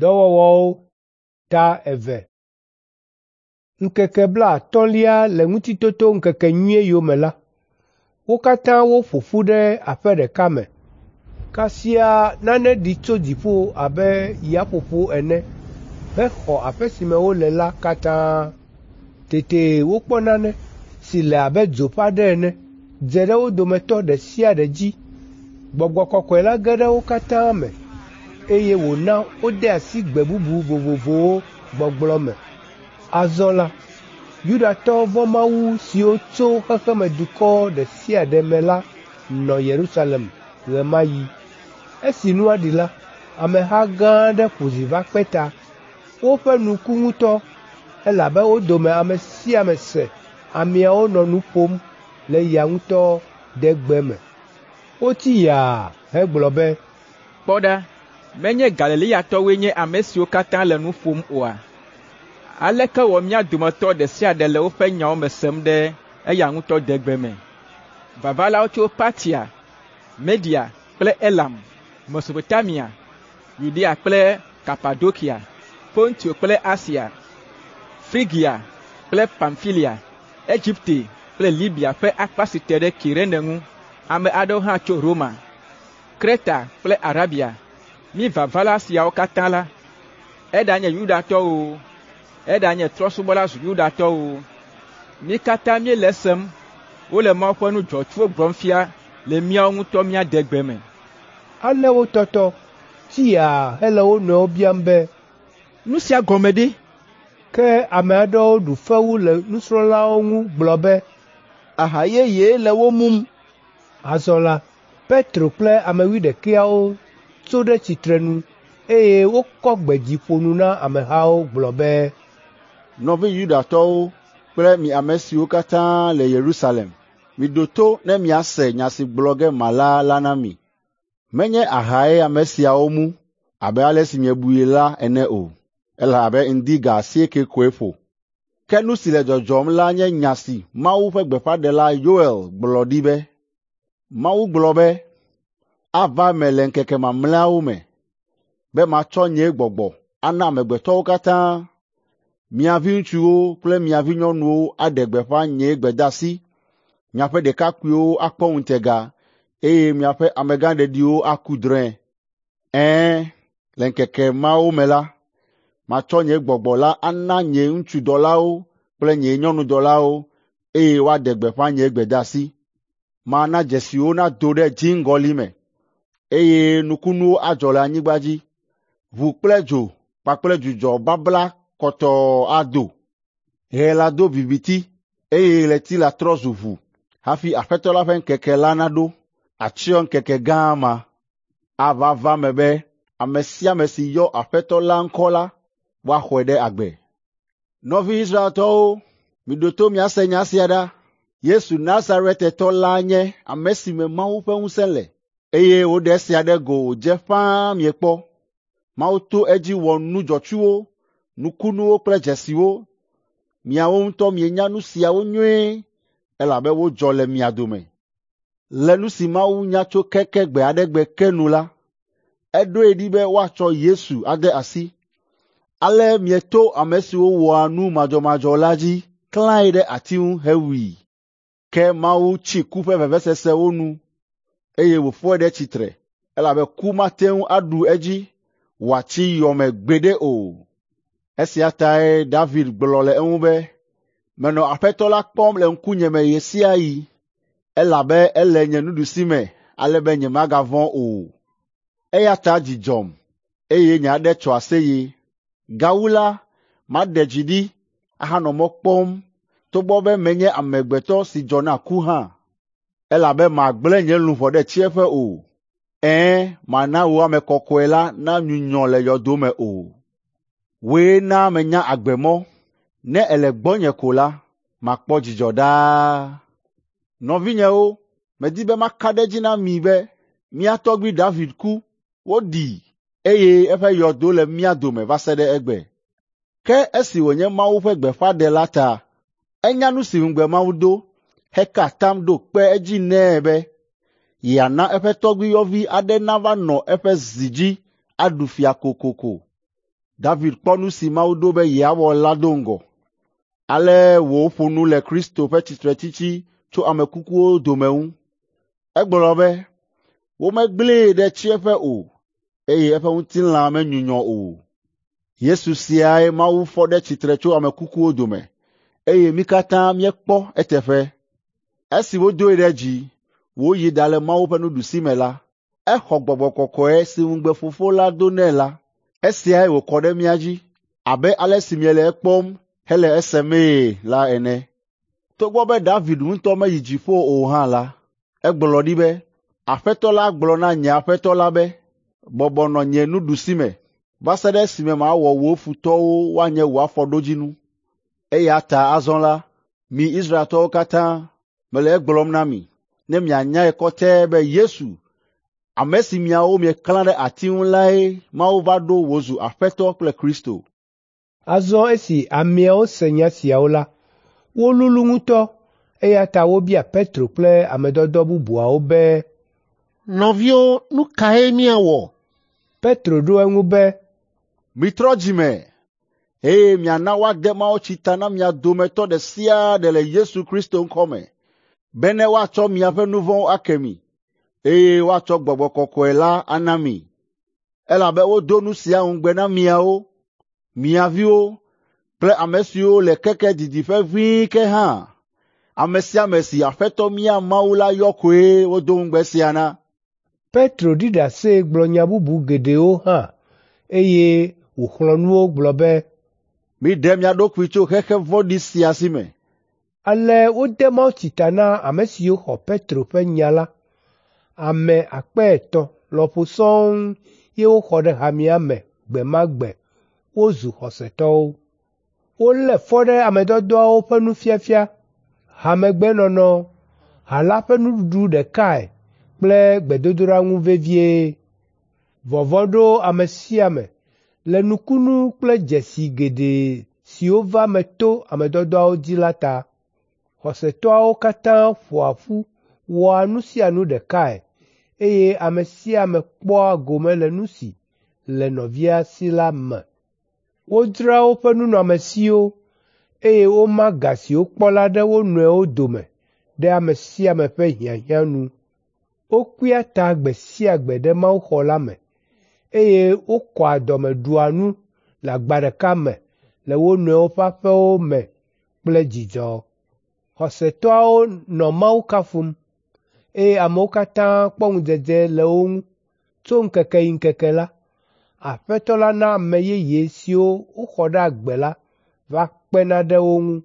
Dɔwɔwɔwo ta 2. Ŋkeke blaatɔ̃lia le Ŋutitotoŋkekenyuie yome la, wo katã woƒo ƒu ɖe aƒe ɖeka me. Kasia nane ɖi tso dziƒo abe yaƒoƒo ene hexɔ aƒe si me wole la katã. Tete wokpɔ nane si le abe dzo ƒe aɖe ene dze ɖe wo dometɔ ɖe sia ɖe dzi. Gbɔgbɔ Kɔkɔe la ge ɖe wo katã me, eye wòna wode asi gbe bubu vovovowo gbɔgblɔ me. Azɔ la, Yudatɔ vɔ̃mawu siwo tso xexemedukɔ ɖe sia ɖe me la nɔ Yerusalem ɣe ma ɣi. Esi nua ɖi la, ameha gã aɖe ƒo zi va kpe ta. Woƒe nu ku ŋutɔ, elabe wo dome ame sia ame se ameawo nɔ nu ƒom le eya ŋutɔ degbe me. Wotsi yaa hegblɔ be, “Kpɔ ɖa, menye Galileatɔwoe nye ame siwo katã le nu ƒom oa? Aleke wɔ mía dometɔ ɖe sia ɖe le woƒe nyawo me sem ɖe eya ŋutɔ degbe me? Vavalawo tso Partia, Media kple Elam, Mesopotamia, Yudea kple Kapadokia, Pontio kple Asia, Frigia kple Pamfilia, Egipte kple Libia ƒe akpa si te ɖe Kirene ŋu. Ame aɖewo hã tso Roma, Kreta kple Arabia. Mí vavala siawo katã la, eɖanye Yudatɔwo o, eɖanye trɔ̃subɔla zu Yudatɔwo o, mí katã míele esem wole Mawu ƒe nu dzɔtsuwo gblɔm fia le míawo ŋutɔ mía degbe me.” Ale wotɔtɔ, tsi yaa hele wo nɔewo biam be, “Nu sia gɔme ɖe?” Ke ame aɖewo ɖu fewu le nusrɔ̃lawo ŋu gblɔ be, “Aha yeye le wo mum.” Azɔ la, Petro kple ame wuiɖekɛawo tso ɖe tsitrenu, eye wokɔ gbe dzi ƒo nu na amehawo gblɔ be, “Nɔvi Yudatɔwo kple mi ame siwo katã le Yerusalem, miɖo to ne miase nya si gblɔ ge mala la na mi. Menye ahae ame siawo mu abe ale si miebui la ene o, elabe ŋdi ga 8 koe ƒo. Ke nu si le dzɔdzɔm la nye nya si Mawu ƒe gbeƒãɖela Yoel gblɔ ɖi be, Mawu gblɔ be, ava eme le ŋkeke mamlɛawo me be matsɔ nye gbɔgbɔ ana amegbetɔwo katã. Mia viŋutsuwo kple mia vinyɔnuwo aɖe gbeƒã nye gbedeasi, miaƒe ɖekakpuiwo akpɔ ŋutega, eye miaƒe amegãɖeɖiwo aku drɔ̃e. Ɛ̃, le ŋkeke mawo me la, matsɔ nye gbɔgbɔ la ana nye ŋutsudɔlawo kple nye nyɔnudɔlawo, eye woaɖe gbeƒã nye gbedeasi. Mana dzesiwo nado ɖe dziŋgɔli me, eye nukunuwo adzɔ le anyigba dzi. Ʋu kple dzo kpakple dzudzɔ babla kɔtɔɔ ado. Ɣe la do viviti, eye ɣleti la trɔ zu ʋu hafi Aƒetɔ la ƒe ŋkeke la naɖo, atsyɔ ŋkeke gã ma. Ava va eme be ame sia ame si yɔ Aƒetɔ la ŋkɔ la, woaxɔe ɖe agbe. Nɔvi Israeltɔwo, miɖo to miase nya sia ɖa. Yesu Nazaretetɔ la nye ame si me Mawu ƒe ŋusẽ le, eye woɖe esia ɖe go wòdze ƒãa miekpɔ. Mawu to edzi wɔ nu dzɔtsuwo, nukunuwo kple dzesiwo. Miawo ŋutɔ mienya nu siawo nyuie, elabe wodzɔ le mia dome. Le nu si Mawu nya tso keke gbe aɖe gbe ke nu la, eɖoe ɖi be woatsɔ Yesu ade asi. Ale mieto ame siwo wɔa nu madzɔmadzɔ la dzi klãe ɖe ati ŋu hewui. Ke Mawu tsi ku ƒe vevesesewo nu, eye wòfɔe ɖe tsitre, elabe ku mate ŋu aɖu edzi wòatsi yɔ me gbeɖe o. Esia tae David gblɔ le eŋu be, ‘Menɔ Aƒetɔ la kpɔm le ŋkunye me ɣe sia ɣi, elabe ele nye nuɖusime ale be nyemagavɔ̃ o. Eya ta dzi dzɔm, eye nye aɖe tso aseye. Gawu la, maɖe dzi ɖi ahanɔ mɔ kpɔm togbɔ be menye amegbetɔ si dzɔ na ku hã, elabe màgblẽ nye luʋɔ ɖe tsiẽƒe o. Ɛ̃, màna wò ame kɔkɔe la nanyunyɔ le yɔdo me o. Wòe na menya agbemɔ, ne èle gbɔnye ko la, makpɔ dzidzɔ ɖaa. Nɔvinyewo, medi be maka ɖe edzi na mi be mía tɔgbui David ku, woɖii, eye eƒe yɔdo le mía dome va se ɖe egbe. Ke esi wònye Mawu ƒe gbeƒãɖela ta, enya nu si ŋugbe Mawu do heka atam ɖo kpe edzi nɛ be yeana eƒe tɔgbuiyɔvi aɖe nava nɔ eƒe zi dzi aɖu fia kokoko. David kpɔ nu si Mawu ɖo be yeawɔ la do ŋgɔ. Ale wòƒo nu le Kristo ƒe tsitretsitsi tso ame kukuwo dome ŋu. Egblɔ be, ‘Womegblẽe ɖe tsiẽƒe o, eye eƒe ŋutilã menyunyɔ o.’ Yesu siae Mawu fɔ ɖe tsitre tso ame kukuwo dome, eye mí katã míekpɔ eteƒe. Esi wodoe ɖe dzi, wòyi ɖale Mawu ƒe nuɖusime la, exɔ Gbɔgbɔ Kɔkɔe si ŋugbe Fofo la do nɛ la. Esiae wòkɔ ɖe mía dzi abe ale si miele ekpɔm hele esemee la ene. Togbɔ be David ŋutɔ meyi dziƒo o hã la, egblɔ ɖi be, ‘Aƒetɔ la gblɔ na nye Aƒetɔ la be, bɔbɔ nɔ nye nuɖusime va se ɖe esime mawɔ wò futɔwo woanye wò afɔɖodzinu.’ Eya ta azɔ la, mi Israeltɔwo katã, mele egblɔm na mi, ne mianyae kɔtɛe be Yesu, ame si miawo mieklã ɖe ati ŋu lae Mawu va ɖo wòzu Aƒetɔ kple Kristo.” Azɔ esi ameawo se nya siawo la, wolulu ŋutɔ, eya ta wobia Petro kple ame dɔdɔ bubuawo be, “Nɔviwo, nu kae míawɔ?” Petro ɖo eŋu be, “Mitrɔ dzi me, eye miana woade mawutsi ta na mia dometɔ ɖe sia ɖe le Yesu Kristo ŋkɔ me, bene woatsɔ miaƒe nu vɔ̃wo ake mi, eye woatsɔ Gbɔgbɔ Kɔkɔe la ana mi. Elabe wodo nu sia ŋugbe na miawo, mia viwo kple ame siwo le keke didiƒe ʋĩi ke hã. Ame sia ame si Aƒetɔ mía Mawu la yɔ koe wodo ŋugbe sia na.” Petro ɖi ɖase gblɔ nya bubu geɖewo hã, eye wòxlɔ̃ nu wo gblɔ be, “Miɖe mia ɖokui tso xexe vɔ̃ɖi sia si me.” Ale wode mawutsi ta na ame siwo xɔ Petro ƒe nya la. Ame 300 lɔƒo sɔŋ ye woxɔ ɖe hamea me gbe ma gbe wozu xɔsetɔwo. Wolé fɔ ɖe ame dɔdɔawo ƒe nufiafia, hamegbenɔnɔ, ha la ƒe nuɖuɖu ɖekae kple gbedodoɖa ŋu vevie. Vɔvɔ̃ ɖo ame sia ame le nukunu kple dzesi geɖe siwo va eme to ame dɔdɔawo dzi la ta. Xɔsetɔawo katã ƒoa ƒu wɔa nu sia nu ɖekae, eye ame sia ame kpɔa gome le nu si le nɔvia si la me. Wodzraa woƒe nunɔamesiwo, eye woma ga si wokpɔ la ɖe wo nɔewo dome ɖe ame sia ame ƒe hiahiã nu. Wokpea ta gbe sia gbe ɖe mawuxɔ la me, eye wokɔa dɔme ɖua nu le agba ɖeka me le wo nɔewo ƒe aƒewo me kple dzidzɔ. Xɔsetɔawo nɔ Mawu kafum, eye amewo katã kpɔ ŋudzedze le wo ŋu. Tso ŋkeke yi ŋkeke la, Aƒetɔ la na ame yeye siwo woxɔ ɖe agbe la va kpena ɖe wo ŋu.